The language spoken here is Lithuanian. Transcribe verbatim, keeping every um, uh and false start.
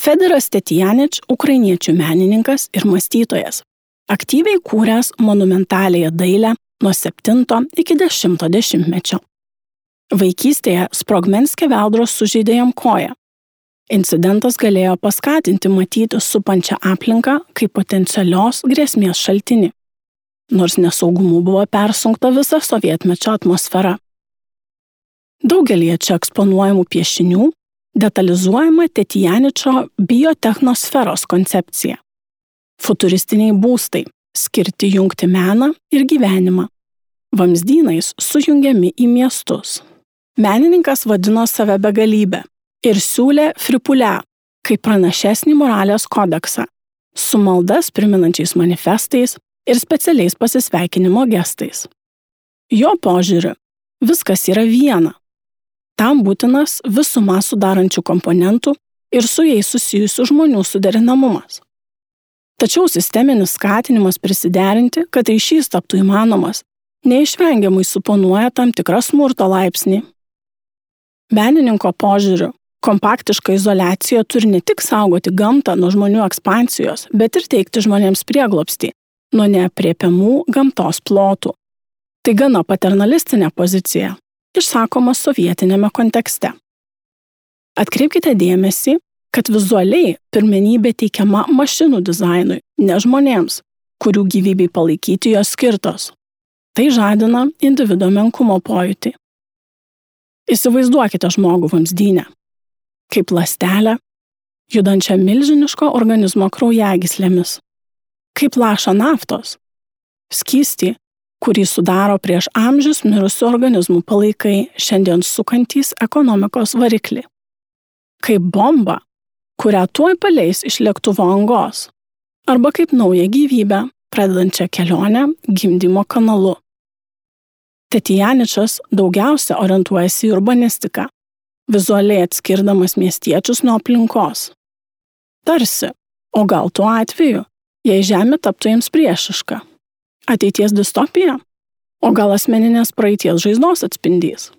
Federas Tetjanič – ukrainiečių menininkas ir mąstytojas, aktyviai kūręs monumentaliąją dailę nuo septinto iki dešimto dešimtmečio. Vaikystėje sprogmenskė veldros sužeidė jam koją. Incidentas galėjo paskatinti matyti supančią aplinką kaip potencialios grėsmės šaltinį, nors nesaugumu buvo persunkta visa sovietmečio atmosfera. Daugelį čia eksponuojamų piešinių detalizuojama Tetjaničo biotechnosferos koncepcija. Futuristiniai būstai, skirti jungti meną ir gyvenimą. Vamzdynais sujungiami į miestus. Menininkas vadino save begalybę ir siūlė fripulę, kaip pranašesnį moralės kodeksą, su maldas priminančiais manifestais ir specialiais pasisveikinimo gestais. Jo požiūriu, viskas yra viena. Tam būtinas visumą sudarančių komponentų ir su jais susijusių žmonių suderinamumas. Tačiau sisteminis skatinimas prisiderinti, kad ryšys taptų įmanomas, neišvengiamai suponuoja tam tikrą smurto laipsnį. Menininko požiūriu, kompaktiška izoliacija turi ne tik saugoti gamtą nuo žmonių ekspansijos, bet ir teikti žmonėms prieglobstį nuo neaprėpiamų gamtos plotų. Tai gana paternalistinė pozicija, išsakoma sovietinėme kontekste. Atkreipkite dėmesį, kad vizualiai pirmenybė teikiama mašinų dizainui, ne žmonėms, kurių gyvybei palaikyti jos skirtos. Tai žadina individo menkumo pojūtį. Įsivaizduokite žmogų vamzdyne, kaip ląstelę, judančią milžiniško organizmo kraujagyslėmis, kaip lašą naftos, skystį, kurį sudaro prieš amžius mirusių organizmų palaikai, šiandien sukantys ekonomikos variklį, kaip bomba, kurią tuoj paleis iš lėktuvo angos, arba kaip naują gyvybę, pradedančią kelionę gimdymo kanalu. Tetjaničas daugiausia orientuojasi į urbanistiką, vizualiai atskirdamas miestiečius nuo aplinkos. Tarsi, o gal tuo atveju, jei žemė taptų jiems priešiška. Ateities distopija, o gal asmeninės praeities žaizdos atspindys.